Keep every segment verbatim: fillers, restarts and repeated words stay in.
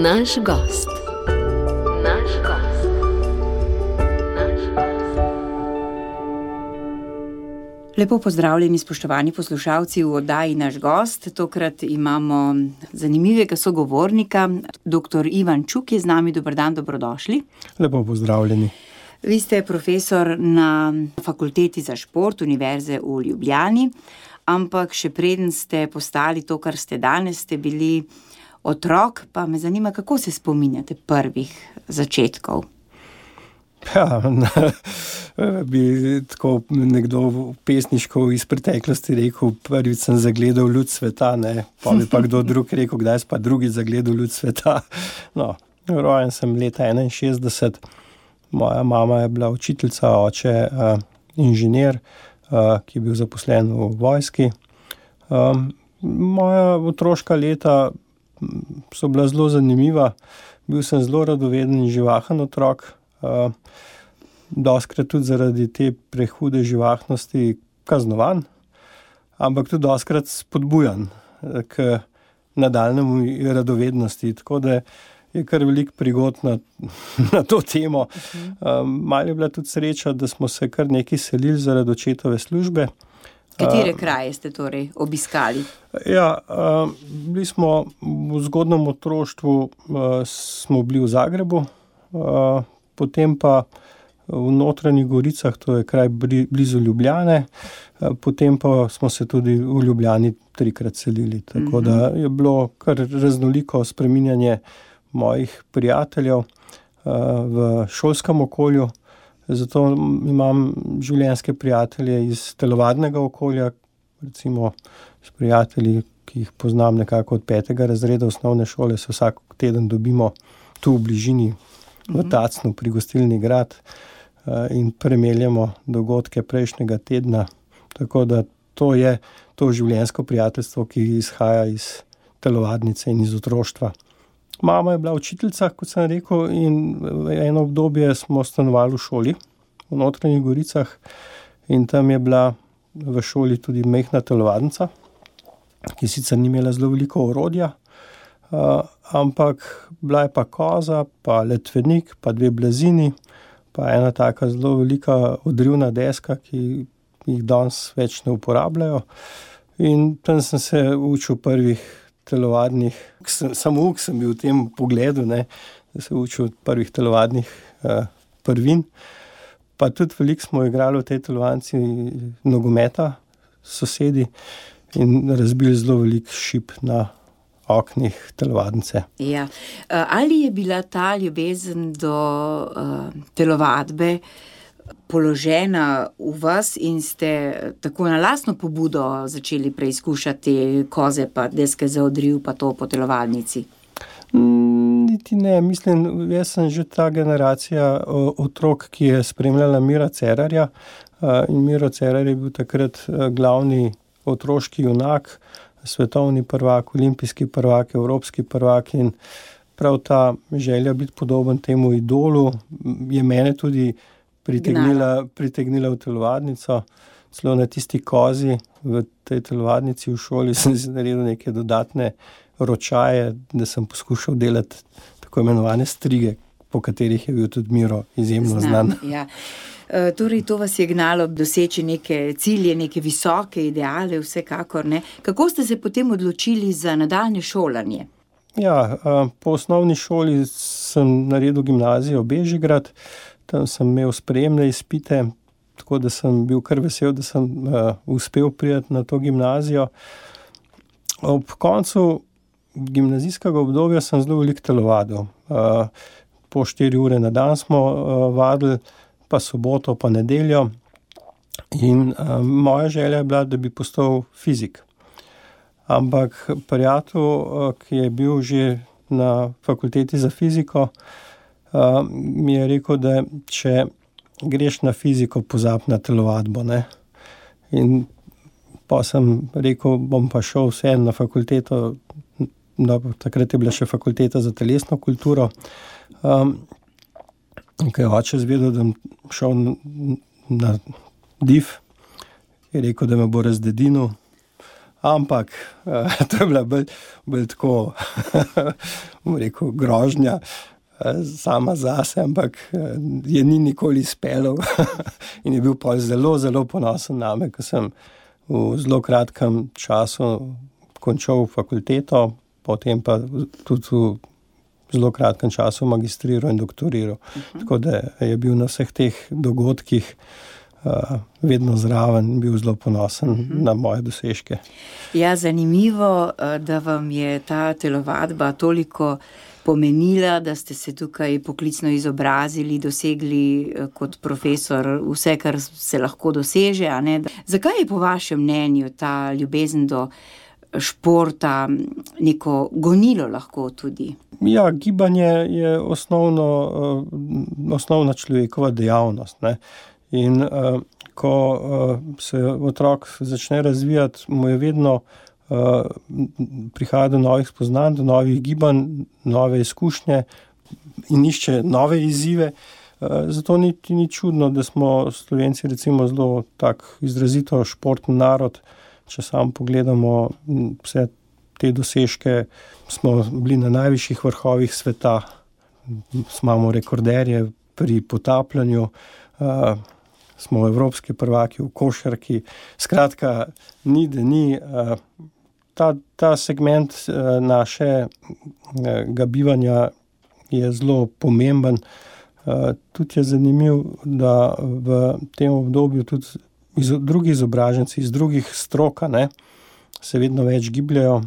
Naš gost. Naš gost. Naš gost. Lepo pozdravljeni, spoštovani poslušalci v oddaji Naš gost. Tokrat imamo zanimivega sogovornika. doktor Ivan Čuk je z nami. Dober dan, dobrodošli. Lepo pozdravljeni. Vi ste profesor na Fakulteti za šport Univerze v Ljubljani, ampak še preden ste postali to, kar ste danes, ste bili otrok, pa me zanima, kako se spominjate prvih začetkov? Ja, bi tako nekdo pesniško iz preteklosti rekel, prvič sem zagledal luč sveta, ne, pa bi pa kdo drug rekel, kdaj sem pa drugič zagledal luč sveta. No, rojen sem leta enainšestdeset, moja mama je bila učiteljica, oče uh, inženir, uh, ki je bil zaposlen v vojski. Um, moja otroška leta so bila zelo zanimiva, bil sem zelo radoveden in živahen otrok, uh, doskrat tudi zaradi te prehude živahnosti kaznovan, ampak tudi doskrat spodbujan k nadaljnemu radovednosti, tako da je kar veliko prigod na, na to temo. Um, malo je bila tudi sreča, da smo se kar nekaj selili zaradi očetove službe. Katere kraje ste torej obiskali? Ja, bili smo v zgodnjem otroštvu, smo bili v Zagrebu, potem pa v Notranjih Goricah, to je kraj blizu Ljubljane, potem pa smo se tudi v Ljubljani trikrat selili, tako da je bilo kar raznoliko spreminjanje mojih prijateljev v šolskem okolju. Zato imam življenjske prijatelje iz telovadnega okolja, recimo s prijatelji, ki jih poznam nekako od petega razreda osnovne šole, se vsak teden dobimo tu v bližini v Tacnu pri Gostilni Grad in premeljamo dogodke prejšnjega tedna. Tako da to je to življenjsko prijateljstvo, ki izhaja iz telovadnice in iz otroštva. Mama je bila učiteljica, kot sem rekel, in eno obdobje smo stanovali v šoli v Notranjih Goricah in tam je bila v šoli tudi majhna telovadnica, ki sicer ni imela zelo veliko orodja, uh, ampak bila je pa koza, pa letvenik, pa dve blazini, pa ena taka zelo velika odrivna deska, ki jih danes več ne uporabljajo. In tam sem se učil prvih telovadnih, samouk sem bil v tem pogledu, ne, da se učil od prvih telovadnih uh, prvin. Pa tudi veliko smo igrali v tej telovadnici nogometa s sosedi in razbili zelo veliko šip na oknih telovadnice. Ja. Ali je bila ta ljubezen do uh, telovadbe položena v vas in ste tako na lastno pobudo začeli preizkušati koze pa deske za odriv pa to po telovadnici? Mm, niti ne, mislim, jaz sem že ta generacija otrok, ki je spremljala Mira Cerarja in Miro Cerar je bil takrat glavni otroški junak, svetovni prvak, olimpijski prvak, evropski prvak in prav ta želja biti podoben temu idolu je mene tudi Pritegnila, pritegnila v telovadnico, celo na tisti kozi v tej telovadnici v šoli sem si naredil neke dodatne ročaje, da sem poskušal delati tako imenovane strige, po katerih je bil tudi Miro izjemno znan. Znam, ja. E, torej, to vas je gnalo doseči neke cilje, neke visoke ideale, vsekakor, ne. Kako ste se potem odločili za nadaljnje šolanje? Ja, po osnovni šoli sem naredil gimnazijo Bežigrad, tam sem imel sprejemne izpite, tako da sem bil kar vesel, da sem uh, uspel priti na to gimnazijo. Ob koncu gimnazijskega obdobja sem zelo veliko telovadil. Uh, po štiri ure na dan smo uh, vadili, pa soboto, pa nedeljo. In uh, moja želja je bila, da bi postal fizik. Ampak prijatelj, uh, ki je bil že na fakulteti za fiziko, Uh, mi je rekel, da če greš na fiziko, pozab na telovadbo, ne. In pa sem rekel, bom pa šel vseeno na fakulteto, no, takrat je bila še fakulteta za telesno kulturo. Um, ko je oče zvedel, da bom šel na, na D I F, je rekel, da me bo razdedinil, ampak uh, to je bila bolj, bolj tako, bom rekel, grožnja uh, sama zase, ampak uh, je ni nikoli izpeljal in je bil pa zelo, zelo ponosen name, ko sem v zelo kratkem času končal fakulteto, potem pa tudi v zelo kratkem času magistriral in doktoriral. Uh-huh. Tako da je bil na vseh teh dogodkih uh, vedno zraven, bil zelo ponosen uh-huh. na moje dosežke. Ja, zanimivo, da vam je ta telovadba toliko pomenila, da ste se tukaj poklicno izobrazili, dosegli kot profesor vse, kar se lahko doseže, a ne? Zakaj je po vašem mnenju ta ljubezen do športa neko gonilo lahko tudi? Ja, gibanje je osnovno, osnovna človekova dejavnost, ne. In uh, ko uh, se otrok začne razvijati, mu je vedno uh, prihaja do novih spoznanj, do novih gibanj, nove izkušnje in išče nove izzive. Uh, zato ni, ni čudno, da smo Slovenci recimo zelo tak izrazito športni narod. Če sam pogledamo vse te dosežke, smo bili na najvišjih vrhovih sveta, imamo rekorderje pri potapljanju, uh, smo evropski prvaki v košarki. Skratka, ni da ni. Uh, ta, ta segment uh, našega bivanja je zelo pomemben. Uh, tudi je zanimiv, da v tem obdobju tudi iz drugih izobraženci, iz drugih stroka, ne, se vedno več gibljajo,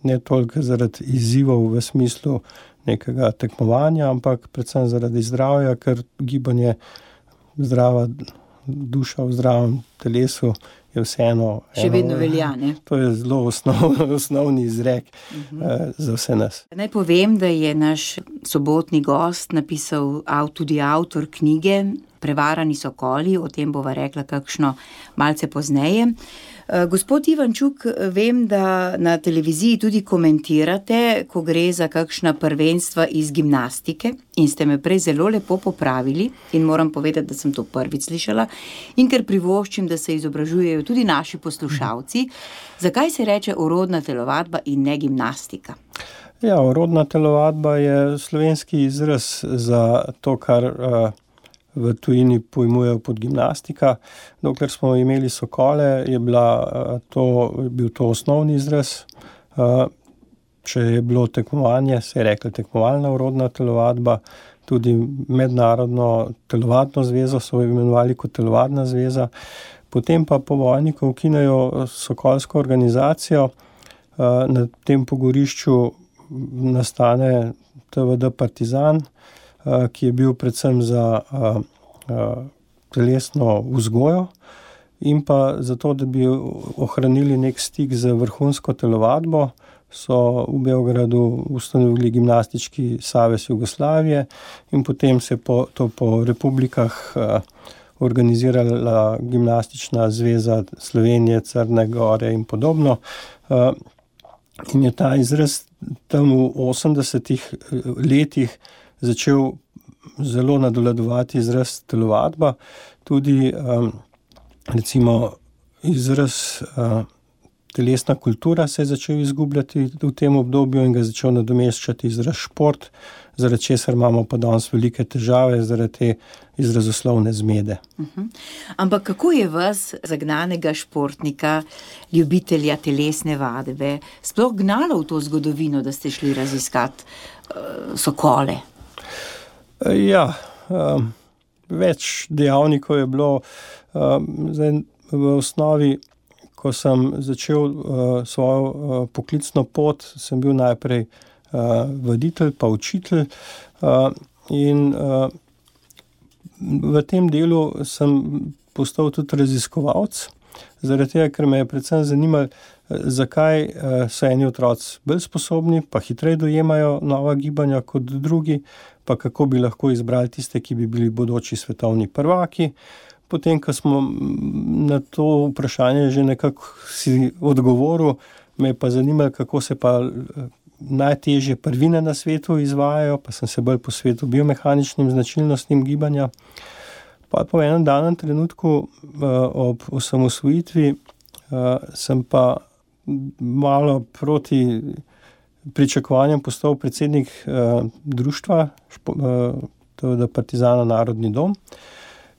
ne toliko zaradi izzivov v smislu nekega tekmovanja, ampak predvsem zaradi zdravja, ker gibanje, zdrava duša v zdravem telesu je vseeno. Še vedno eno, velja, ne? To je zelo osnov, osnovni izrek uh-huh. eh, za vse nas. Naj povem, da je naš sobotni gost napisal tudi avtor knjige Prevarani sokoli, o tem bova rekla kakšno malce pozneje. Gospod Ivančuk, vem, da na televiziji tudi komentirate, ko gre za kakšna prvenstva iz gimnastike in ste me prej zelo lepo popravili in moram povedati, da sem to prvič slišala in ker privoščim, da se izobražujejo tudi naši poslušalci. Zakaj se reče orodna telovadba in ne gimnastika? Ja, orodna telovadba je slovenski izraz za to, kar uh, v tujini pojmujejo pod gimnastika. Dokler smo imeli sokole, je bila to, bil to osnovni izraz. Če je bilo tekmovanje, se je rekla tekmovalna orodna telovadba, tudi mednarodno telovadno zvezo so imenovali kot telovadna zveza. Potem pa po vojni, ko ukinejo sokolsko organizacijo, na tem pogorišču nastane T V D Partizan, ki je bil predvsem za uh, uh, telesno vzgojo in pa zato, da bi ohranili nek stik z vrhunsko telovadbo, so v Beogradu ustanovili gimnastički savez Jugoslavije in potem se po, to po republikah uh, organizirala gimnastična zveza Slovenije, Crne Gore in podobno. Uh, in je ta izraz tam v osemdesetih letih začel zelo nadoledovati izraz telovadba, tudi um, recimo izraz uh, telesna kultura se je začel izgubljati v tem obdobju in ga začel nadomeščati izraz šport, zaradi česar imamo pa danes velike težave, zaradi te izrazoslovne zmede. Uh-huh. Ampak kako je vas, zagnanega športnika, ljubitelja telesne vadbe, sploh gnalo v to zgodovino, da ste šli raziskati uh, sokole? Ja, um, več dejavnikov je bilo. Um, zdaj, v osnovi, ko sem začel uh, svojo uh, poklicno pot, sem bil najprej uh, voditelj, pa učitelj. Uh, in uh, v tem delu sem postal tudi raziskovalec, zaradi tega, ker me je predvsem zanimalo, zakaj so eni otroci bolj sposobni, pa hitreje dojemajo nova gibanja kot drugi, pa kako bi lahko izbrali tiste, ki bi bili bodoči svetovni prvaki. Potem, ko smo na to vprašanje že nekako si odgovoril, me je pa zanimalo, kako se pa najtežje prvine na svetu izvajajo, pa sem se bolj posvetil biomehaničnim značilnostim gibanja. Pa po enem danem trenutku ob osamosvojitvi sem pa malo proti pričakovanjem postal predsednik uh, društva, špo, uh, to je Partizana Narodni dom.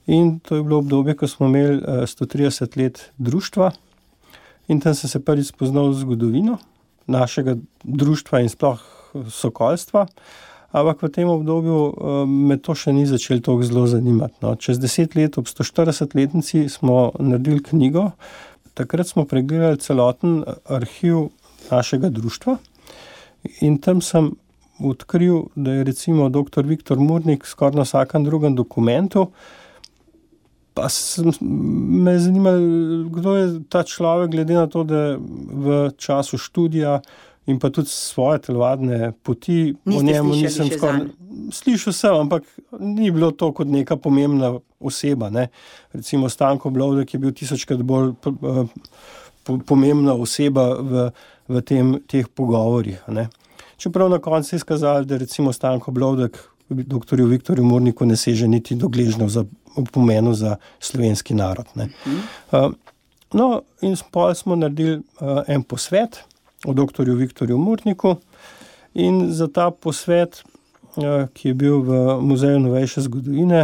In to je bilo obdobje, ko smo imeli uh, sto trideset let društva in tam sem se prvi spoznal zgodovino našega društva in sploh sokolstva. Ampak v tem obdobju me to še ni začelo toliko zelo zanimati. No. Čez deset let, ob sto štiridesetletnici, smo naredili knjigo. Takrat smo pregledali celoten arhiv našega društva in tam sem odkril, da je recimo doktor Viktor Murnik skoraj na vsakem drugem dokumentu. Pa sem, me je zanimalo, kdo je ta človek, glede na to, da v času študija in pa tudi svoje telovadne poti, Niste o njemu nisem slišali še skoraj... Slišal sem, ampak ni bilo to kot neka pomembna oseba. Ne. Recimo Stanko Blovdek je bil tisočkrat bolj po, pomembna oseba v, v tem, teh pogovorih. Ne. Čeprav na koncu je izkazalo, da recimo Stanko Blovdek doktorju Viktorju Murniku ne seže niti do gležnjev za pomenu za slovenski narod. Ne. Mm. Uh, no, in pol smo naredili uh, en posvet o doktorju Viktorju Murniku in za ta posvet, uh, ki je bil v Muzeju novejše zgodovine,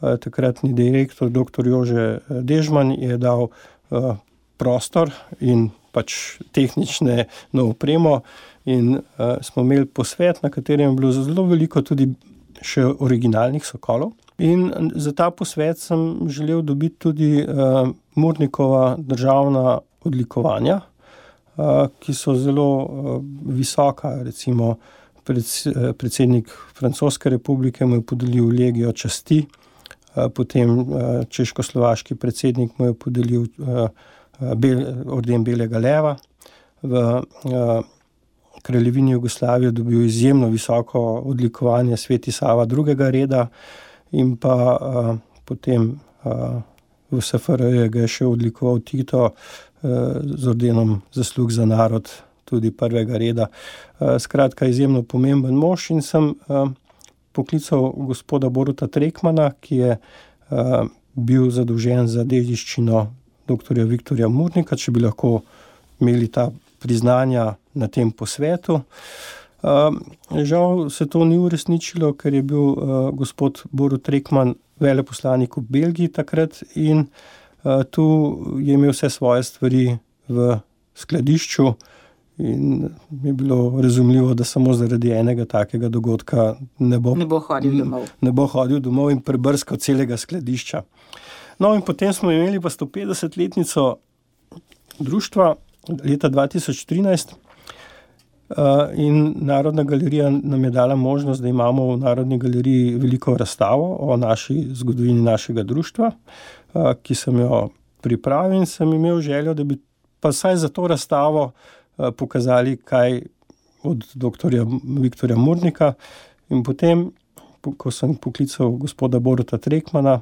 uh, takratni direktor doktor Jože Dežman je dal uh, prostor in pač tehnične no opremo in uh, smo imeli posvet, na katerem je bilo zelo veliko tudi še originalnih sokolov. In za ta posvet sem želel dobiti tudi uh, Murnikova državna odlikovanja, uh, ki so zelo uh, visoka. Recimo pred, predsednik Francoske republike mu je podelil legijo časti, uh, potem uh, češko-slovaški predsednik mu je podelil uh, bel, orden belega leva. V uh, kraljevini Jugoslavije dobil izjemno visoko odlikovanje Sveti Sava drugega reda, in pa uh, potem uh, v S F R J ga je še odlikoval Tito uh, z ordenom zaslug za narod tudi prvega reda. Uh, skratka, izjemno pomemben mož in sem uh, poklical gospoda Boruta Trekmana, ki je uh, bil zadolžen za dediščino doktorja Viktorja Murnika, če bi lahko imeli ta priznanja na tem posvetu. Uh, žal se to ni uresničilo, ker je bil uh, gospod Borut Trekman veleposlanik v Belgiji takrat in uh, tu je imel vse svoje stvari v skladišču in je bilo razumljivo, da samo zaradi enega takega dogodka ne bo, ne bo hodil domov. Ne bo hodil domov in prebrskal celega skladišča. No in potem smo imeli pa sto petdesetletnico društva leta dva tisoč trinajst. Uh, in Narodna galerija nam je dala možnost, da imamo v Narodni galeriji veliko razstavo o naši zgodovini našega društva, uh, ki sem jo pripravil in sem imel željo, da bi pa vsaj za to razstavo uh, pokazali kaj od doktorja Viktorja Murnika. In potem, ko sem poklical gospoda Boruta Trekmana,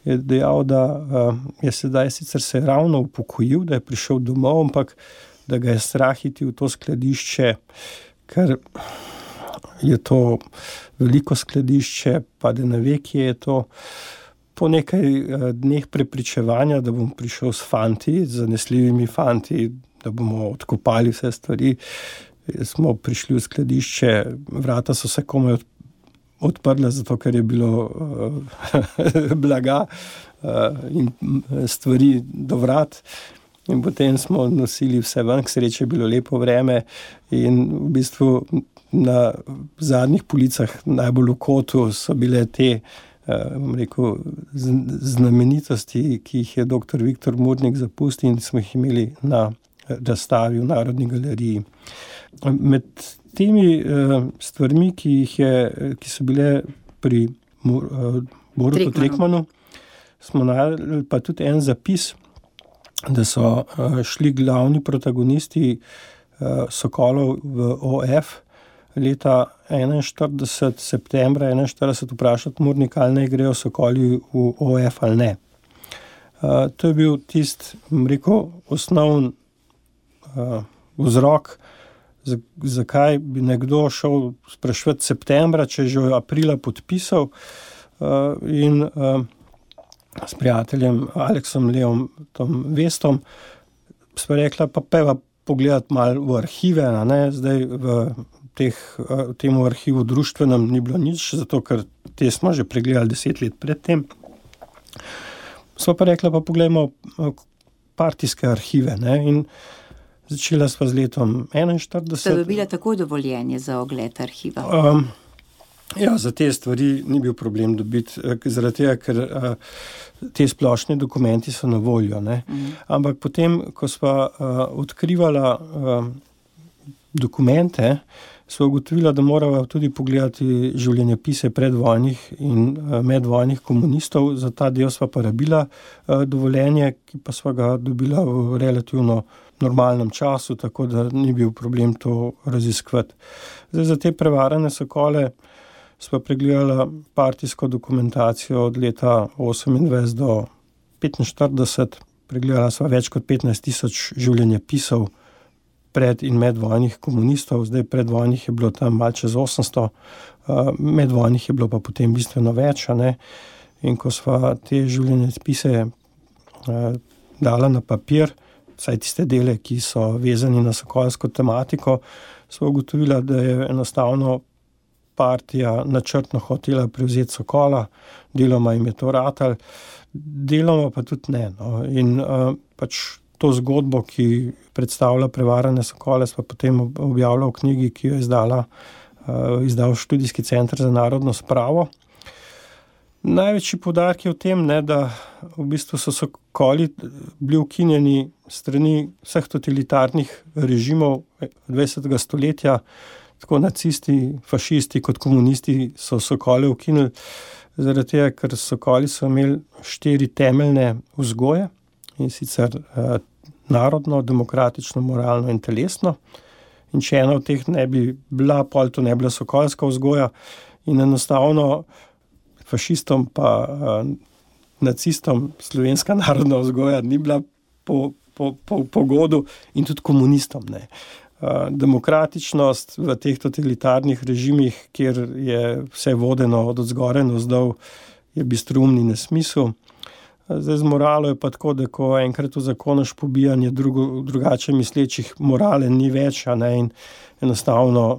je dejal, da uh, je sedaj sicer se ravno upokojil, da je prišel domov, ampak da ga je strah iti v to skladišče, ker je to veliko skladišče, pa da ne ve, kje je to. Po nekaj dneh prepričevanja, da bom prišel s fanti, z zanesljivimi fanti, da bomo odkopali vse stvari, smo prišli v skladišče, vrata so se komaj odprla, zato ker je bilo uh, blaga uh, in stvari do vrat. In potem smo nosili vse ven, k sreči je bilo lepo vreme in v bistvu na zadnjih policah najbolj v kotu so bile te bom rekel, znamenitosti, ki jih je doktor Viktor Murnik zapustil in smo jih imeli na razstavi v Narodni galeriji. Med temi stvarmi, ki, jih je, ki so bile pri Borutu Trekmanu, smo naredili pa tudi en zapis, da so uh, šli glavni protagonisti uh, Sokolov v O F leta enainštirideset, septembra enainštirideset vprašati Murnika, ali ne grejo Sokoli v O F ali ne. Uh, to je bil tisti, rekel, osnovni uh, vzrok, zakaj bi nekdo šel spraševati septembra, če že v aprila podpisal uh, in uh, s prijateljem Aleksom Leom Tom Vestom sva rekla, pa peva pogledati malo v arhive, a ne, zdaj v teh, v tem arhivu društvenem ni bilo nič, zato ker te smo že pregledali deset let predtem. Sva pa rekla, pa poglejmo partijske arhive, ne, in začela sva z letom enainštirideset. Ste dobila takoj dovoljenje za ogled arhiva? Um, ja, za te stvari ni bil problem dobiti, zaradi tega, ker uh, te splošni dokumenti so na voljo, ne. Mm. Ampak potem, ko sva uh, odkrivala uh, dokumente, sva ugotovila, da morava tudi pogledati življenjepise predvojnih in uh, medvojnih komunistov. Za ta del sva pa rabila uh, dovoljenje, ki pa sva ga dobila v relativno normalnem času, tako da ni bil problem to raziskovati. Zdaj, za te prevarane sokole sva pregledala partijsko dokumentacijo od leta osemindvajset do petinštirideset. Pregledala sva več kot petnajst tisoč življenjepisov pred in medvojnih komunistov. Zdaj predvojnih je bilo tam malo čez osemsto, medvojnih je bilo pa potem bistveno več, a ne. In ko sva te življenjepise dala na papir, vsaj tiste dele, ki so vezani na sokolsko tematiko, sva ugotovila, da je enostavno partija načrtno hotela prevzeti Sokola, deloma jim je to ratalo, deloma pa tudi ne. No. In uh, pač to zgodbo, ki predstavlja prevarane Sokole, sva potem objavila v knjigi, ki jo je izdala, uh, izdal Študijski center za narodno spravo. Največji poudarek je v tem, ne, da v bistvu so Sokoli bili ukinjeni strani vseh totalitarnih režimov dvajsetega stoletja, tako nacisti, fašisti kot komunisti so Sokole ukinili, zaradi tega, ker Sokoli so imeli štiri temeljne vzgoje, in sicer eh, narodno, demokratično, moralno in telesno. In če ena od teh ne bi bila, pol to ne bila sokolska vzgoja, in enostavno fašistom pa uh, nacistom slovenska narodna vzgoja ni bila po, po, po, po godu, in tudi komunistom ne. Uh, demokratičnost v teh totalitarnih režimih, kjer je vse vodeno od odzgoraj navzdol, je bistroumni nesmisel. Uh, zdaj z moralo je pa tako, da ko enkrat uzakonaš pobijanje drugo, drugače mislečih, morale ni več, a ne, in enostavno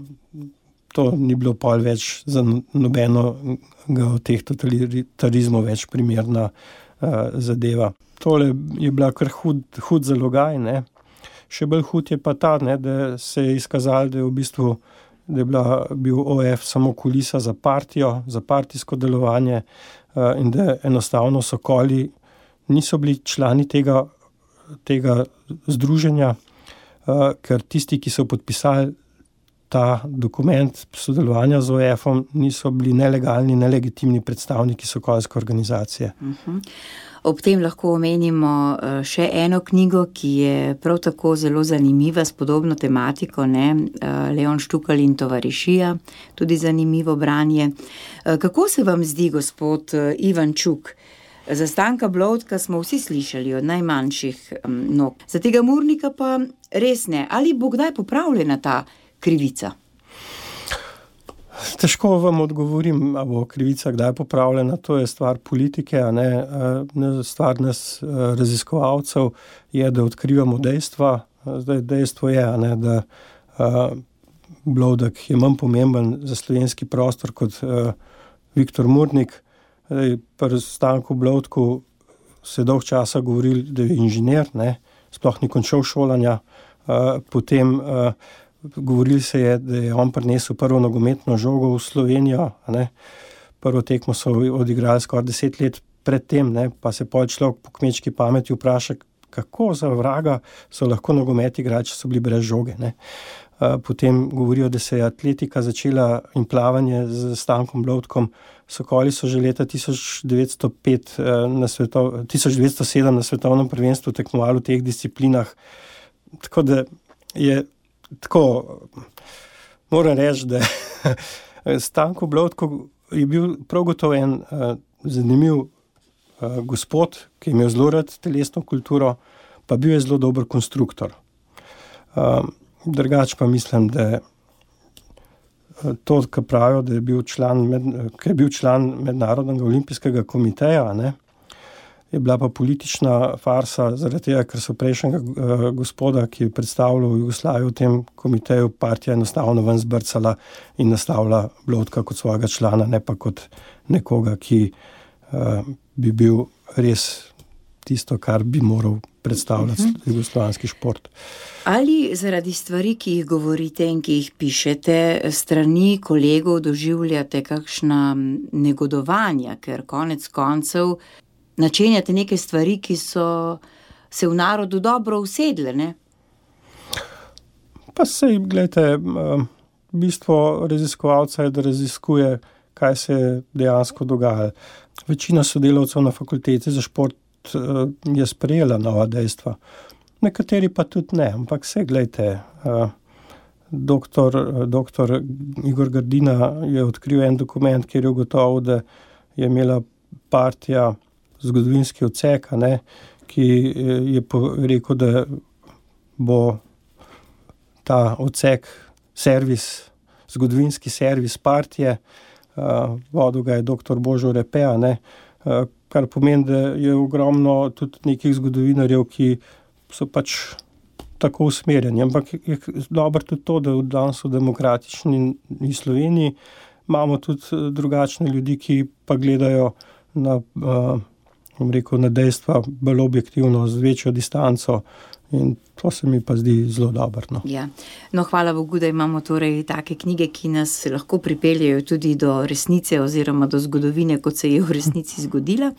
to ni bilo pol več za nobeno od teh totalitarizmov več primerna uh, zadeva. Tole je bila kar hud, hud zalogaj, ne. Še bolj hud je pa ta, ne, da se je izkazalo, da je v bistvu da je bila, bil O F samo kulisa za partijo, za partijsko delovanje uh, in da enostavno Sokoli niso bili člani tega, tega združenja, uh, ker tisti, ki so podpisali ta dokument sodelovanja z O F-om, niso bili nelegalni, nelegitimni predstavniki sokolske organizacije. Uh-huh. Ob tem lahko omenimo še eno knjigo, ki je prav tako zelo zanimiva, s podobno tematiko, ne? Leon Štukal in tovarišija, tudi zanimivo branje. Kako se vam zdi, gospod Ivan Čuk? Za Stanka Blodka smo vsi slišali od najmanjših nog. Za tega Murnika pa res ne. Ali bo kdaj popravljena ta krivica? Težko vam odgovorim, a bo krivica kdaj popravljena, to je stvar politike, a ne, stvar nas raziskovalcev je, da odkrivamo dejstva. Zdaj dejstvo je, a ne, da uh, Blodek je manj pomemben za slovenski prostor kot uh, Viktor Murnik. Zdaj, pri Stanku Blodku se dolg časa govorili, da je inženir, ne, sploh ni končal šolanja, uh, potem uh, govorili se je, da je on prinesel prvo nogometno žogo v Slovenijo, ne. Prvo tekmo so odigrali skoraj deset let pred tem, ne, pa se pol človek po kmečki pameti vpraša, kako za vraga so lahko nogomet igrali, če so bili brez žoge, ne. Potem govorijo, da se je atletika začela in plavanje z Stankom Blodkom. Sokoli so že leta tisoč devetsto pet na svetov, tisoč devetsto sedem na svetovnem prvenstvu tekmovali v teh disciplinah. Tako da je Tako, moram reči, da Stanko Blodko je bil prav gotovo en uh, zanimiv uh, gospod, ki je imel zelo rad telesno kulturo, pa bil je zelo dober konstruktor. Uh, drugač pa mislim, da to, kar pravijo, da je bil član, med, ki je bil član Mednarodnega olimpijskega komiteja, ne, je bila pa politična farsa, zaradi tega, ker so prejšnjega uh, gospoda, ki je predstavljal Jugoslavijo v tem komiteju, partija enostavno ven zbrcala in nastavila Blotka kot svojega člana, ne pa kot nekoga, ki uh, bi bil res tisto, kar bi moral predstavljati uh-huh. jugoslovanski šport. Ali zaradi stvari, ki jih govorite in ki jih pišete, strani kolegov doživljate kakšna negodovanja, ker konec koncev načenjate neke stvari, ki so se v narodu dobro usedle, ne? Pa sej, gledajte, bistvo raziskovalca je, da raziskuje, kaj se je dejansko dogajalo. Večina sodelavcev na fakulteti za šport je sprejela nova dejstva. Nekateri pa tudi ne, ampak vse, gledajte, doktor, doktor Igor Grdina je odkril en dokument, kjer je ugotovil, da je imela partija zgodovinski odsek, ne, ki je rekel, da bo ta odsek servis, zgodovinski servis partije, vodil ga je doktor Božo Repe, ne, kar pomeni, da je ogromno tudi nekih zgodovinarjev, ki so pač tako usmerjeni. Ampak je dobro tudi to, da v danes v demokratični Sloveniji imamo tudi drugačne ljudi, ki pa gledajo na, bom rekel, na dejstva bolj objektivno, z večjo distanco. In to se mi pa zdi zelo dobro. No. Ja. No, hvala Bogu, da imamo torej take knjige, ki nas lahko pripeljejo tudi do resnice oziroma do zgodovine, kot se je v resnici zgodila.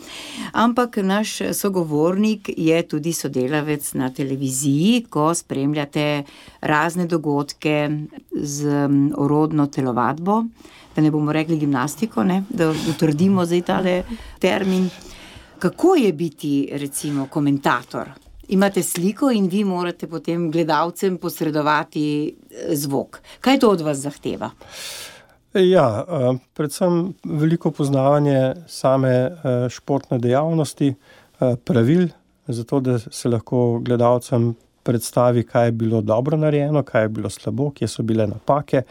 Ampak naš sogovornik je tudi sodelavec na televiziji, ko spremljate razne dogodke z orodno telovadbo, da ne bomo rekli gimnastiko, ne? Da utrdimo zdaj tale termin. Kako je biti, recimo, komentator? Imate sliko in vi morate potem gledalcem posredovati zvok. Kaj to od vas zahteva? Ja, predvsem veliko poznavanje same športne dejavnosti, pravil, zato da se lahko gledalcem predstavi, kaj je bilo dobro narejeno, kaj je bilo slabo, kje so bile napake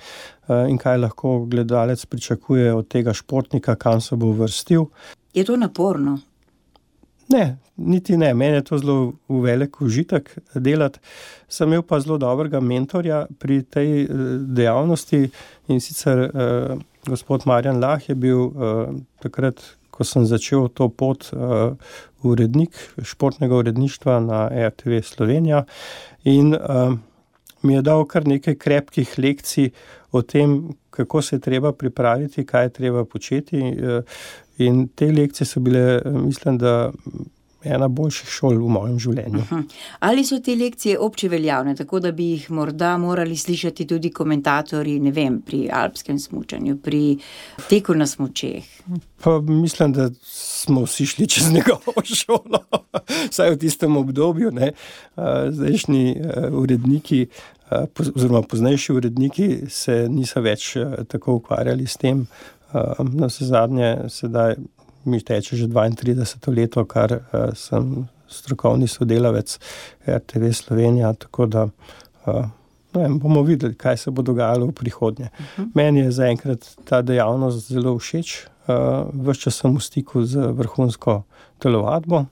in kaj lahko gledalec pričakuje od tega športnika, kam se bo uvrstil. Je to naporno? Ne, niti ne. Meni je to zelo velik užitek delati. Sem imel pa zelo dobrega mentorja pri tej dejavnosti in sicer eh, gospod Marjan Lah je bil eh, takrat, ko sem začel to pot, eh, urednik športnega uredništva na R T V Slovenija in eh, mi je dal kar nekaj krepkih lekcij o tem, kako se je treba pripraviti, kaj je treba početi. In te lekcije so bile, mislim, da ena boljših šol v mojem življenju. Ali so te lekcije obče veljavne, tako da bi jih morda morali slišati tudi komentatorji, ne vem, pri alpskem smučanju, pri teku na smučeh? Pa mislim, da smo vsi šli čez njegovo šolo, vsaj v tistem obdobju, ne. Zdajšnji uredniki, oziroma poznejši uredniki se niso več tako ukvarjali s tem. Na vse zadnje, sedaj mi teče že dvaintrideseto leto, kar sem strokovni sodelavec R T V Slovenija, tako da ne vem, bomo videli, kaj se bo dogajalo v prihodnje. Uh-huh. Meni je zaenkrat ta dejavnost zelo všeč, ves čas sem v stiku z vrhunsko telovadbo.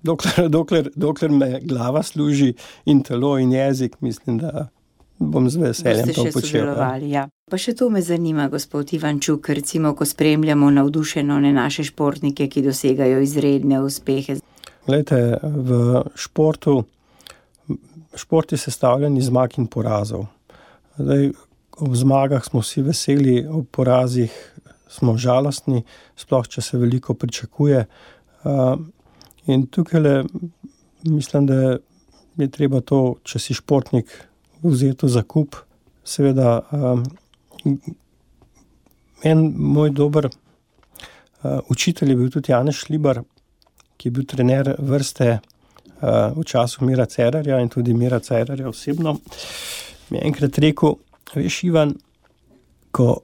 Dokler, dokler, dokler me glava služi in telo in jezik, mislim, da bom z veseljem to počel. Ja. Pa še to me zanima, gospod Ivančuk, recimo, ko spremljamo navdušeno naše športnike, ki dosegajo izredne uspehe. Glejte, v športu, šport je sestavljen iz zmag in porazov. Zdaj, ob zmagah smo vsi veseli, ob porazih smo žalostni, sploh če se veliko pričakuje. In tukaj mislim, da je treba to, če si športnik, vzeti v zakup. Seveda, um, en moj dober uh, učitelj je bil tudi Janez Šlibar, ki je bil trener vrste uh, v času Mira Cerarja in tudi Mira Cerarja osebno. Mi je enkrat rekel, veš, Ivan, ko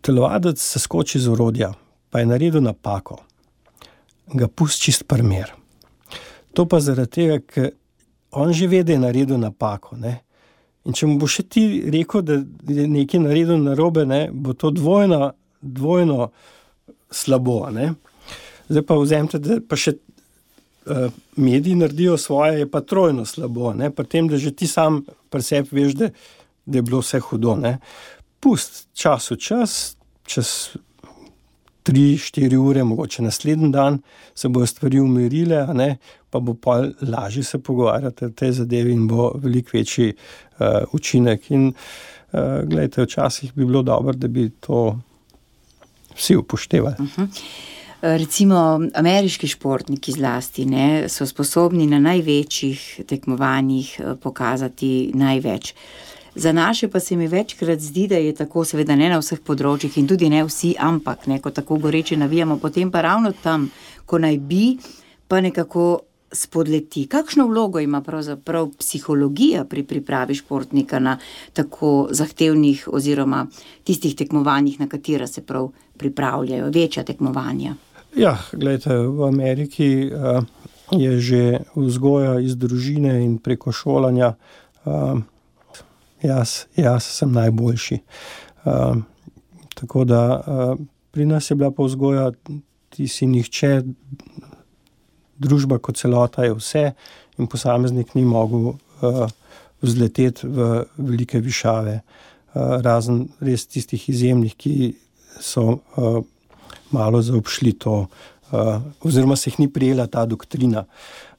telovadec se skoči z orodja, pa je naredil napako, ga pusti čist primer. To pa zaradi tega, ker on že ve, da je naredil napako, ne. In če mu bo še ti rekel, da je nekaj naredil narobe, ne, bo to dvojno, dvojno slabo, ne. Zdaj pa vzemite, da pa še mediji naredijo svoje, je pa trojno slabo. Ne? Pri tem, da že ti sam pri sebi veš, da, da je bilo vse hudo. Ne? Pust čas v čas, čez tri, štiri ure, mogoče naslednji dan, se bojo stvari umirile, a ne? Pa bo pa lažje se pogovarjati o tej zadevi in bo veliko večji uh, učinek. In uh, gledajte, včasih bi bilo dobro, da bi to vsi upoštevali. Uh-huh. Recimo ameriški športniki zlasti ne, so sposobni na največjih tekmovanjih pokazati največ. Za naše pa se mi večkrat zdi, da je tako, seveda ne na vseh področjih in tudi ne vsi, ampak ne, ko tako goreče navijamo, potem pa ravno tam, ko naj bi, pa nekako spodleti. Kakšno vlogo ima pravzaprav psihologija pri pripravi športnika na tako zahtevnih oziroma tistih tekmovanjih, na katera se prav pripravljajo, večja tekmovanja? Ja, gledajte, v Ameriki uh, je že vzgoja iz družine in preko šolanja uh, jaz, jaz sem najboljši. Uh, tako da uh, pri nas je bila pa vzgoja, ti si nihče, družba kot celota je vse in posameznik ni mogel uh, vzleteti v velike višave, uh, razen res tistih izjemnih, ki so uh, malo zaobšli to, uh, oziroma se jih ni prijela ta doktrina.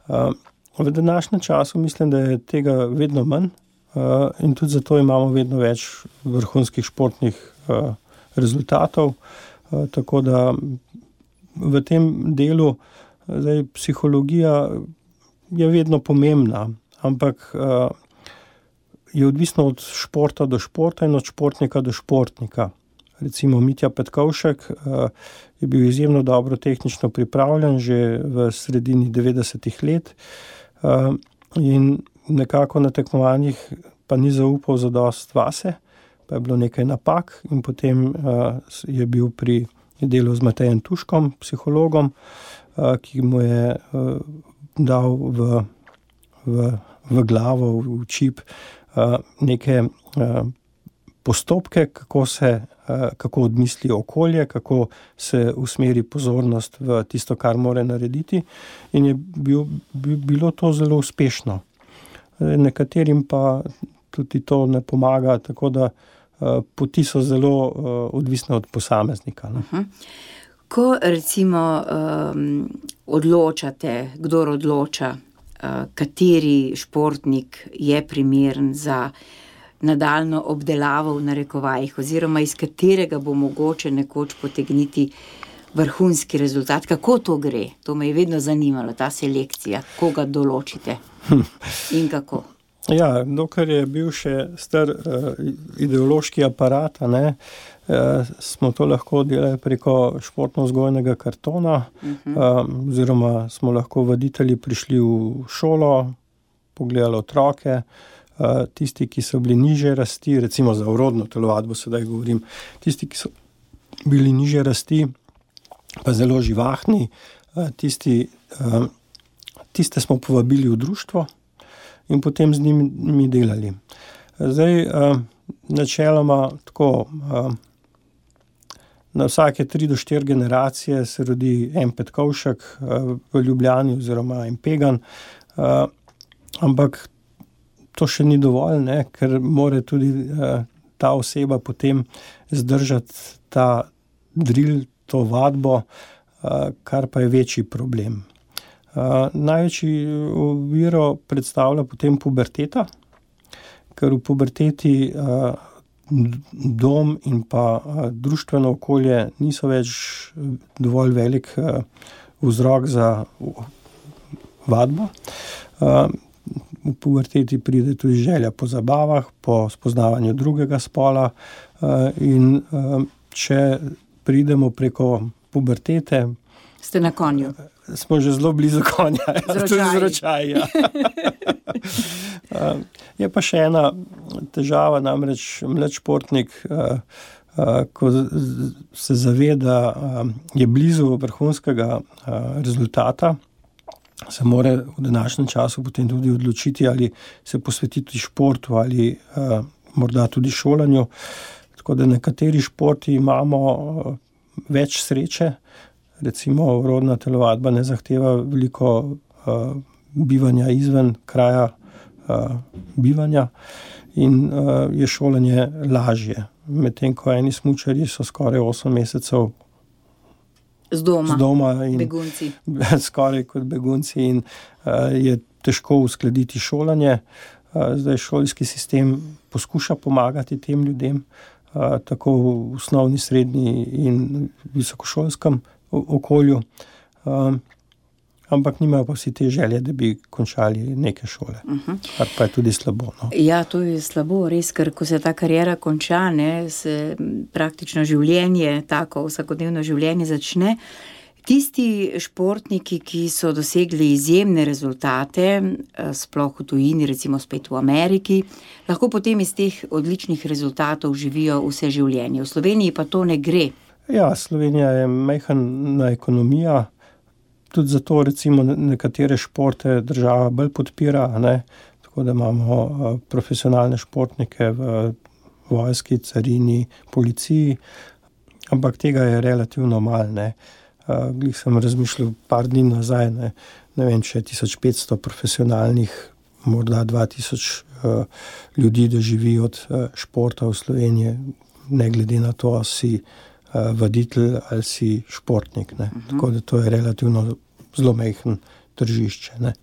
Uh, v današnjem času mislim, da je tega vedno manj uh, in tudi zato imamo vedno več vrhunskih športnih uh, rezultatov, uh, tako da v tem delu zdaj, psihologija je vedno pomembna, ampak uh, je odvisno od športa do športa in od športnika do športnika. Recimo Mitja Petkovšek uh, je bil izjemno dobro tehnično pripravljen že v sredini devetdesetih let uh, in nekako na tekmovanjih pa ni zaupal zadost vase, pa je bilo nekaj napak in potem uh, je bil pri delu z Matejem Tuškom, psihologom, uh, ki mu je uh, dal v, v, v glavo, v čip uh, neke uh, postopke, kako se kako odmisli okolje, kako se usmeri pozornost v tisto, kar mora narediti in je bil, bilo to zelo uspešno. Nekaterim pa tudi to ne pomaga, tako da poti so zelo odvisne od posameznika. Ne? Uh-huh. Ko recimo um, odločate, kdor odloča, uh, kateri športnik je primeren za nadaljno obdelavo v narekovajih, oziroma iz katerega bo mogoče nekoč potegniti vrhunski rezultat. Kako to gre? To me je vedno zanimalo, ta selekcija. Koga določite in kako? Ja, dokler je bil še star uh, ideološki aparat, ne, uh, smo to lahko delali preko športno-vzgojnega kartona, uh-huh. uh, oziroma smo lahko vaditelji prišli v šolo, pogledali otroke, Uh, tisti, ki so bili nižje rasti, recimo za urodno telovadbo sedaj govorim, tisti, ki so bili nižje rasti, pa zelo živahni, uh, tisti, uh, tiste smo povabili v društvo in potem z njimi delali. Zdaj, uh, načeloma tako, uh, na vsake tri do štiri generacije se rodi en Petkovšek uh, v Ljubljani oziroma en Pegan, uh, ampak to še ni dovolj, ne, ker mora tudi uh, ta oseba potem zdržati ta drill, to vadbo, uh, kar pa je večji problem. Uh, največji oviro predstavlja potem puberteta, ker v puberteti uh, dom in pa uh, društveno okolje niso več dovolj velik uh, vzrok za vadbo. Uh, V puberteti pride tudi želja po zabavah, po spoznavanju drugega spola in če pridemo preko pubertete, ste na konju. Smo že zelo blizu konja. Tudi zročaj, ja. Je pa še ena težava, namreč mlad športnik, ko se zaveda, je blizu vrhunskega rezultata, se mora v današnjem času potem tudi odločiti, ali se posvetiti športu ali uh, morda tudi šolanju. Tako da nekateri športi imamo uh, več sreče, recimo urodna telovadba ne zahteva veliko uh, uh, bivanja izven kraja uh, bivanja in uh, je šolanje lažje. Medtem ko eni smučarji so skoraj osem mesecev z doma, z doma in begunci. Skoraj kot begunci in uh, je težko uskladiti šolanje. Uh, zdaj šolski sistem poskuša pomagati tem ljudem, uh, tako v osnovni, srednji in visokošolskem okolju. Uh, ampak nimajo pa vsi te želje, da bi končali neke šole, uh-huh. kar pa je tudi slabo. No. Ja, to je slabo, res, ker ko se ta kariera konča, ne, se praktično življenje, tako vsakodnevno življenje začne. Tisti športniki, ki so dosegli izjemne rezultate, sploh v tujini, recimo spet v Ameriki, lahko potem iz teh odličnih rezultatov živijo vse življenje. V Sloveniji pa to ne gre. Ja, Slovenija je majhna ekonomija. Tudi zato recimo nekatere športe država bolj podpira, ne? Tako da imamo uh, profesionalne športnike v vojski, carini, policiji, ampak tega je relativno malo. Ne? Uh, glih sem razmišljal par dni nazaj, ne, ne vem, če je tisoč petsto profesionalnih, morda dva tisoč uh, ljudi, da živi od uh, športa v Sloveniji, ne glede na to, ali si uh, vaditelj ali si športnik. Ne? Uh-huh. Tako da to je relativno zelo majhen tržišče. Ne?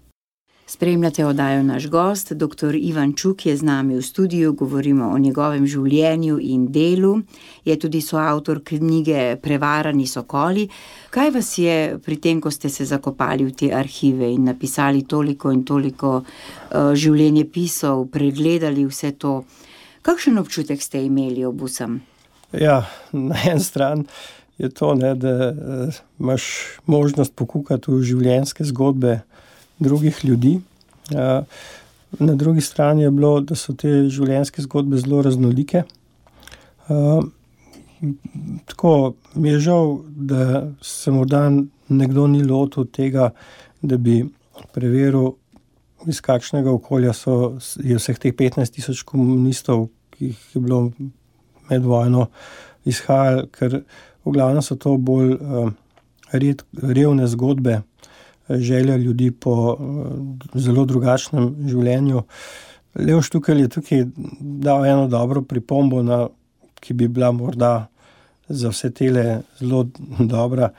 Spremljate oddajo Naš gost, doktor Ivan Čuk je z nami v studiu, govorimo o njegovem življenju in delu. Je tudi soavtor knjige Prevarani sokoli. Kaj vas je pri tem, ko ste se zakopali v te arhive in napisali toliko in toliko uh, življenjepisov, pregledali vse to, kakšen občutek ste imeli ob vsem? Ja, na en stran je to, ne, da uh, imaš možnost pokukati v življenjske zgodbe drugih ljudi. Uh, na drugi strani je bilo, da so te življenjske zgodbe zelo raznolike. Uh, tako mi je žal, da se morda nekdo ni lotil tega, da bi preveril, iz kakšnega okolja so je vseh teh petnajst tisoč komunistov, ki jih je bilo med vojno izhajali, ker v glavnem so to bolj uh, red, revne zgodbe, želja ljudi po uh, zelo drugačnem življenju. Leo Štukelj je tukaj dal eno dobro pripombo, na, ki bi bila morda za vse tele zelo dobra,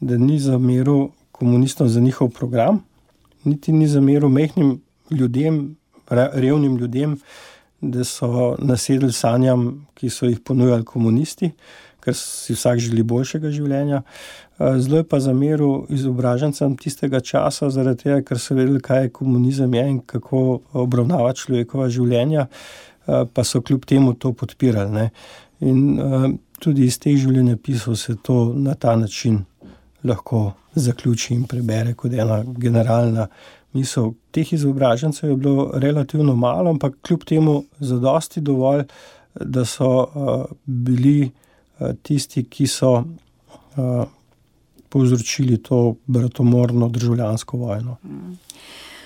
da ni zameril komunistom za njihov program, niti ni zameril majhnim ljudem, revnim ljudem, da so nasedli sanjam, ki so jih ponujali komunisti, ker si vsak želi boljšega življenja. Zelo je pa zameril izobražencem tistega časa, zaradi tega, ker so vedeli, kaj je komunizem je in kako obravnava človekova življenja, pa so kljub temu to podpirali. Ne. In tudi iz teh življenjepisov se to na ta način lahko zaključi in prebere kot ena generalna misel. Teh izobražencev je bilo relativno malo, ampak kljub temu zadosti dovolj, da so uh, bili uh, tisti, ki so uh, povzročili to bratomorno državljansko vojno.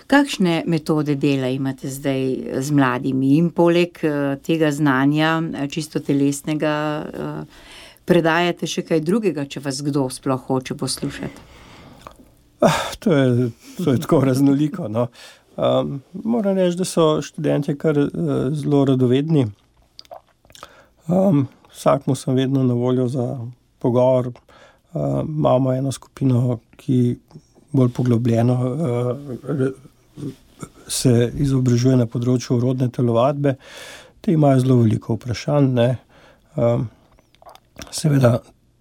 Kakšne metode dela imate zdaj z mladimi in poleg uh, tega znanja, čisto telesnega, uh, predajate še kaj drugega, če vas kdo sploh hoče poslušati? Ah, to, je, to je tako raznoliko. No. Um, moram reči, da so študentje kar uh, zelo radovedni. Um, vsakmu sem vedno na voljo za pogovor. Uh, imamo eno skupino, ki bolj poglobljeno uh, se izobražuje na področju rodne telovadbe. Te imajo zelo veliko vprašanj. Ne. Um, seveda,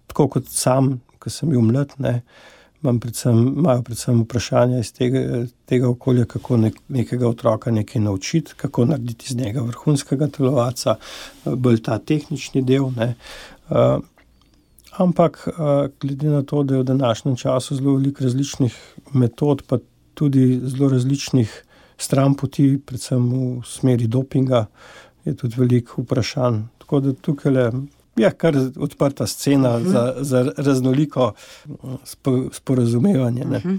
tako kot sam, ko sem bil mlad, ne, imam predvsem, imajo predvsem vprašanja iz tega, tega okolja, kako nek, nekega otroka nekaj naučiti, kako narediti iz njega vrhunskega telovadca, bolj ta tehnični del. Ne. Uh, ampak uh, glede na to, da je v današnjem času zelo veliko različnih metod, pa tudi zelo različnih stran poti, predvsem v smeri dopinga, je tudi veliko vprašanj. Tako da tukaj le je kar odprta scena uh-huh. za, za raznoliko spo, sporazumevanje. Ne? Uh-huh.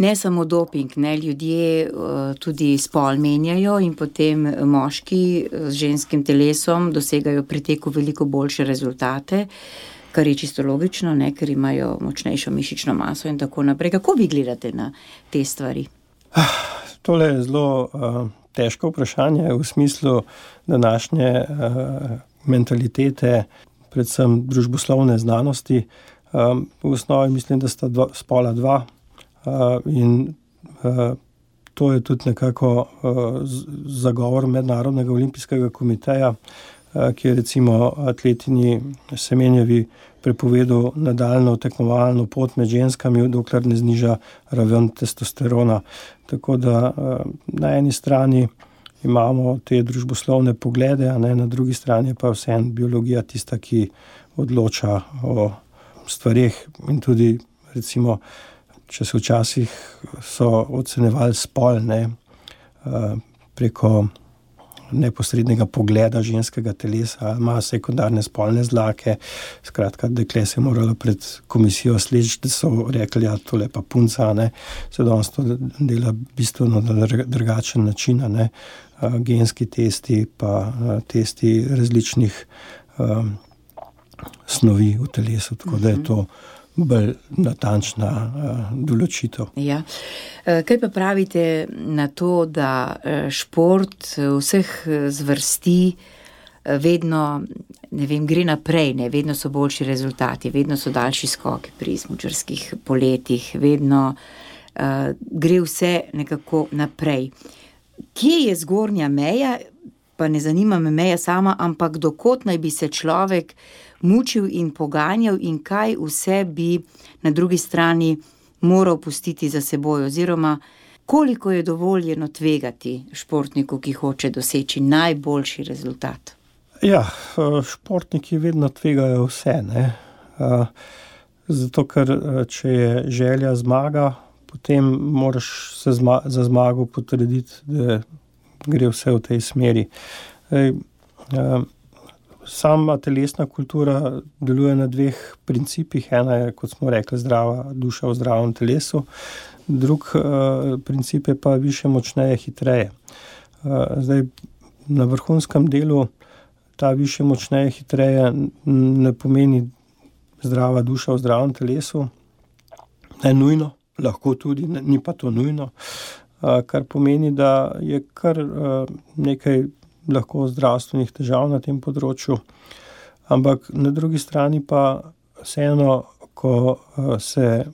Ne samo doping, ne, ljudje uh, tudi spol menjajo in potem moški z ženskim telesom dosegajo pri teku veliko boljše rezultate, kar je čisto logično, ne, ker imajo močnejšo mišično maso in tako naprej. Kako vi gledate na te stvari? Tole je zelo uh, težko vprašanje v smislu današnje uh, mentalitete, predvsem družboslovne znanosti. Um, v osnovi mislim, da sta dva, spola dva uh, in uh, to je tudi nekako uh, zagovor Mednarodnega olimpijskega komiteja, uh, ki je recimo atletinji Semenjevi prepovedal nadaljnjo tekmovalno pot med ženskami, dokler ne zniža raven testosterona. Tako da uh, na eni strani imamo te družboslovne poglede, a ne, na drugi strani pa vseeno biologija tista, ki odloča o stvareh in tudi recimo, če se včasih so ocenjevali spol, ne, preko neposrednega pogleda ženskega telesa, ima sekundarne spolne zlake, skratka, dekle se je moralo pred komisijo sleči, da so rekli, ja, tole pa punca, ne, se danes to dela bistveno na drugačen način, ne, genski testi pa testi različnih um, snovi v telesu, tako da je to bolj natančna uh, določitev. Ja. Kaj pa pravite na to, da šport vseh zvrsti vedno, ne vem, gre naprej, ne, vedno so boljši rezultati, vedno so daljši skoki pri smučarskih poletih, vedno uh, gre vse nekako naprej. Kje je zgornja meja, pa ne zanima me meja sama, ampak dokot naj bi se človek mučil in poganjal in kaj vse bi na drugi strani moral pustiti za seboj, oziroma koliko je dovoljeno tvegati športniku, ki hoče doseči najboljši rezultat? Ja, športniki vedno tvegajo vse, ne. Zato, ker če je želja zmaga, potem moraš se zma- za zmago potrditi, da gre vse v tej smeri. Ej, sama telesna kultura deluje na dveh principih. Ena je, kot smo rekli, zdrava duša v zdravem telesu. Drug uh, princip je pa više, močneje, hitreje. Uh, zdaj, na vrhunskem delu ta više, močneje, hitreje ne pomeni zdrava duša v zdravem telesu. Ne nujno, lahko tudi, ne, ni pa to nujno. Uh, kar pomeni, da je kar uh, nekaj lahko zdravstvenih težav na tem področju, ampak na drugi strani pa vseeno, ko uh, se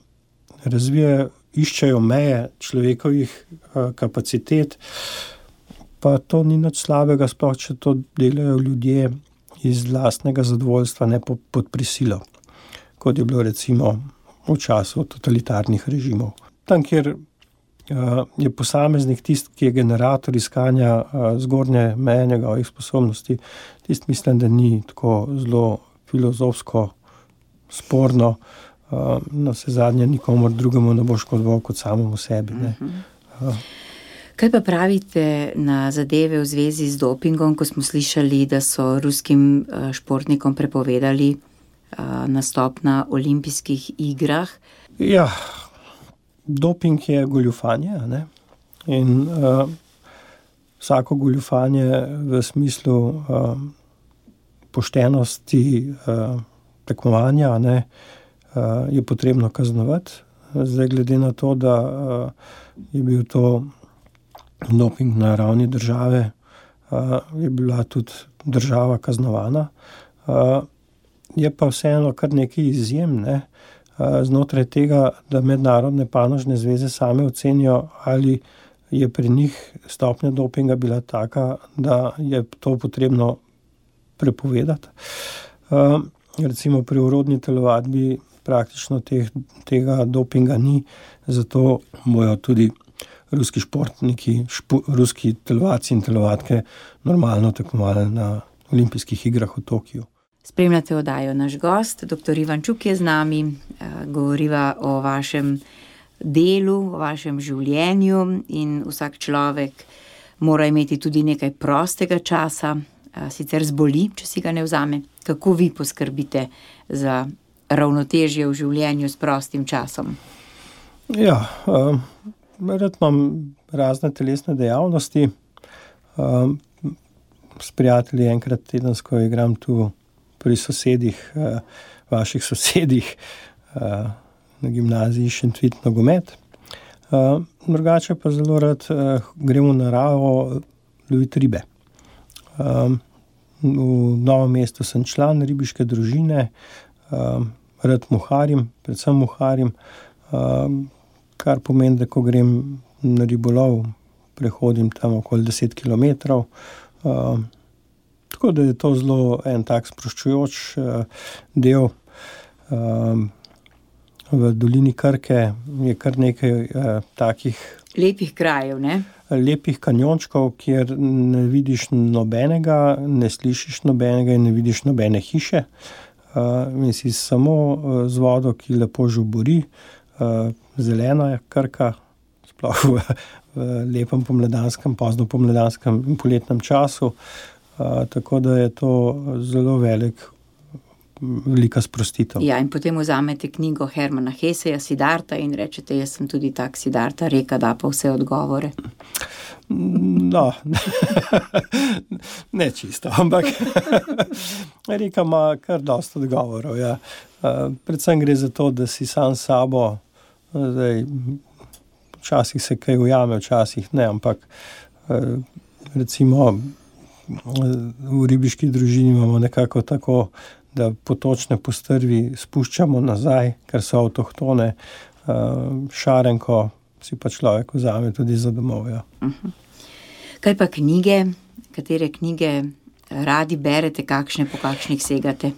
razvijajo, iščejo meje človekovih uh, kapacitet, pa to ni nič slabega, sploh če to delajo ljudje iz lastnega zadovoljstva, ne po, pod prisilo, kot je bilo recimo v času totalitarnih režimov. Tam, kjer uh, je posameznik tist, ki je generator iskanja uh, zgornje meje njegovih sposobnosti, tist mislim, da ni tako zelo filozofsko sporno, uh, na vse zadnje nikomor drugemu ne bo škodoval kot samemu sebi, ne. Uh. Kaj pa pravite na zadeve v zvezi z dopingom, ko smo slišali, da so ruskim športnikom prepovedali nastop na olimpijskih igrah? Ja, doping je goljufanje, ne? In uh, vsako goljufanje v smislu uh, poštenosti uh, tekmovanja, ne, uh, je potrebno kaznovati. Zdaj, glede na to, da uh, je bil to doping na ravni države, uh, je bila tudi država kaznovana. Uh, je pa vseeno kar nekaj izjem, ne, uh, znotraj tega, da mednarodne panožne zveze same ocenijo, ali je pri njih stopnja dopinga bila taka, da je to potrebno prepovedati. Uh, recimo pri urodni telovadbi praktično teh, tega dopinga ni, zato bojo tudi ruski športniki, špo, ruski telovadci in telovadke normalno tekmovali na olimpijskih igrah v Tokiju. Spremljate oddajo Naš gost, doktor Ivan Čuk je z nami, govoriva o vašem delu, o vašem življenju in vsak človek mora imeti tudi nekaj prostega časa, sicer zboli, če si ga ne vzame. Kako vi poskrbite za ravnotežje v življenju s prostim časom? Ja, uh... rad imam razne telesne dejavnosti. Um, s prijatelji enkrat tedensko igram tu pri sosedih, uh, vaših sosedih, uh, na gimnaziji Šentvid nogomet. Uh, drugače pa zelo rad uh, grem v naravo loviti ribe. Um, v Novem mestu sem član ribiške družine, um, rad muharim, predvsem muharim, um, kar pomeni, da ko grem na ribolov, prehodim tam okoli deset kilometrov. Um, tako da je to zelo en tak sproščujoč uh, del. Um, v dolini Krke je kar nekaj uh, takih lepih krajev, ne? Lepih kanjončkov, kjer ne vidiš nobenega, ne slišiš nobenega in ne vidiš nobene hiše. Uh, in si samo uh, z vodo, ki lepo žubori, uh, zelena je Krka, sploh v, v lepem pomladanskem, pozno pomladanskem in poletnem času. Uh, tako da je to zelo velik velika sprostitev. Ja, in potem vzamete knjigo Hermana Hesseja, Siddharta, in rečete, jaz sem tudi tak Siddharta, reka da pa vse odgovore. No, ne čisto, ampak reka ima kar dosti odgovorov. Ja. Predvsem gre za to, da si sam s sabo, zdaj, včasih se kaj ujame, včasih ne, ampak recimo v ribiški družini imamo nekako tako, da potočne postrvi spuščamo nazaj, ker so avtohtone, šarenko si pa človek vzame tudi za domov. Ja. Uh-huh. Kaj pa knjige? Katere knjige radi berete, kakšne po kakšnih segate?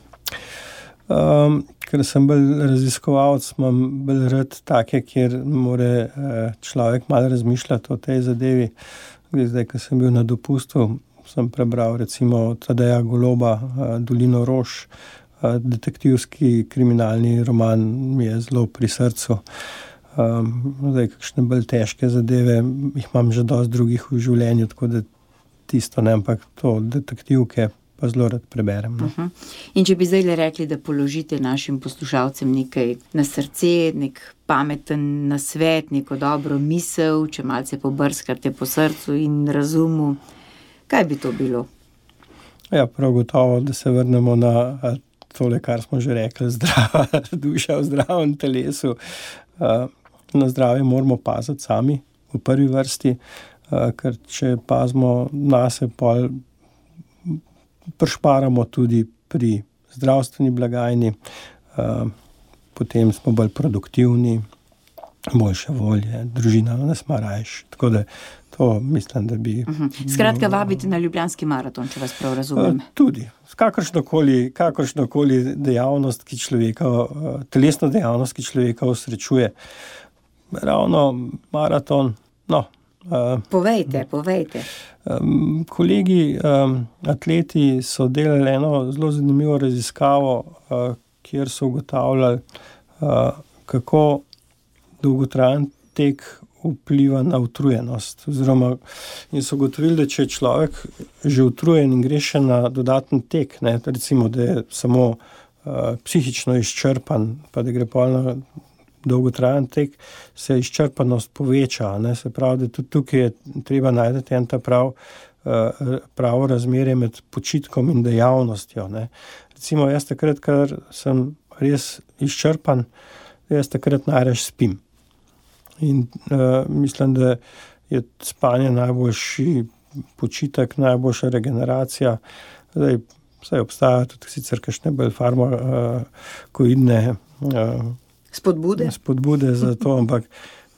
Um, ker sem bolj raziskovalec, imam bolj rad take, kjer more človek malo razmišljati o tej zadevi. Zdaj, ko sem bil na dopustu, sem prebral recimo Tadeja Goloba, Dolino rož, detektivski kriminalni roman mi je zelo pri srcu. Zdaj, kakšne bolj težke zadeve, jih imam že dosti drugih v življenju, tako da tisto ne, ampak to detektivke pa zelo rad preberem. No. Uh-huh. In če bi zdaj le rekli, da položite našim poslušalcem nekaj na srce, nek pameten nasvet, neko dobro misel, če malce pobrskate po srcu in razumu, kaj bi to bilo? Ja, prav gotovo, da se vrnemo na tole, kar smo že rekli, zdrava duša v zdravem telesu. Na zdravje moramo paziti sami v prvi vrsti, ker če pazimo nase, pol prešparamo tudi pri zdravstveni blagajni, potem smo bolj produktivni, boljše volje, družina nas ima rajši. Tako da to mislim, da bi... Uh-huh. Skratka, vabite na Ljubljanski maraton, če vas prav razumem. Tudi. Kakršnokoli, kakršnokoli dejavnost, ki človeka, telesno dejavnost, ki človeka osrečuje. Ravno maraton, no. Povejte, povejte. Um, kolegi, um, atleti so delali eno zelo zanimivo raziskavo, uh, kjer so ugotavljali, uh, kako dolgotrajen tek vpliva na utrujenost. Oziroma, in so ugotovili, da če je človek že utrujen in gre še na dodaten tek, ne, recimo, da je samo uh, psihično izčrpan, pa da gre pa na dolgotrajen tek, se izčrpanost poveča. Ne, se pravi, da tudi tukaj je treba najti en ta prav, uh, pravo razmerje med počitkom in dejavnostjo. Ne. Recimo, jaz takrat, ker sem res izčrpan, jaz takrat najraž spim. In uh, mislim, da je spanje najboljši počitek, najboljša regeneracija. Zdaj, vsaj obstajajo tudi sicer kakšne bolj farmakoidne uh, spodbude. spodbude za to, ampak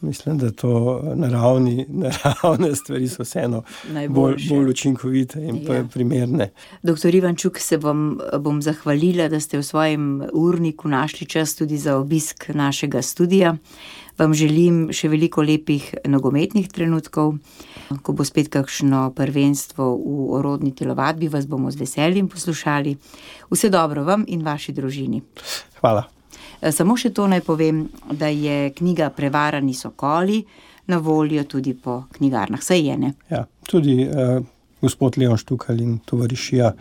mislim, da to naravni, naravne stvari so vseeno bolj, bolj učinkovite in ja. primerne. Doktor Ivan Čuk, se bom, bom zahvalila, da ste v svojem urniku našli čas tudi za obisk našega studia. Vam želim še veliko lepih nogometnih trenutkov. Ko bo spet kakšno prvenstvo v orodni telovadbi, vas bomo z veseljem poslušali. Vse dobro vam in vaši družini. Hvala. Samo še to naj povem, da je knjiga Prevarani sokoli na voljo tudi po knjigarnah. Saj je, ne? Ja, tudi eh, gospod Leon Štukal in tovarišija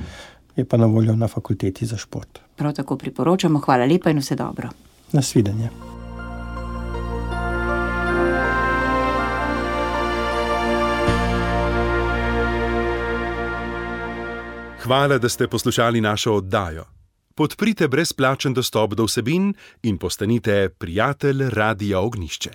je pa na voljo na fakulteti za šport. Prav tako priporočamo. Hvala lepa in vse dobro. Nasvidenje. Hvala, da ste poslušali našo oddajo. Podprite brezplačen dostop do vsebin in postanite prijatelj Radia Ognjišče.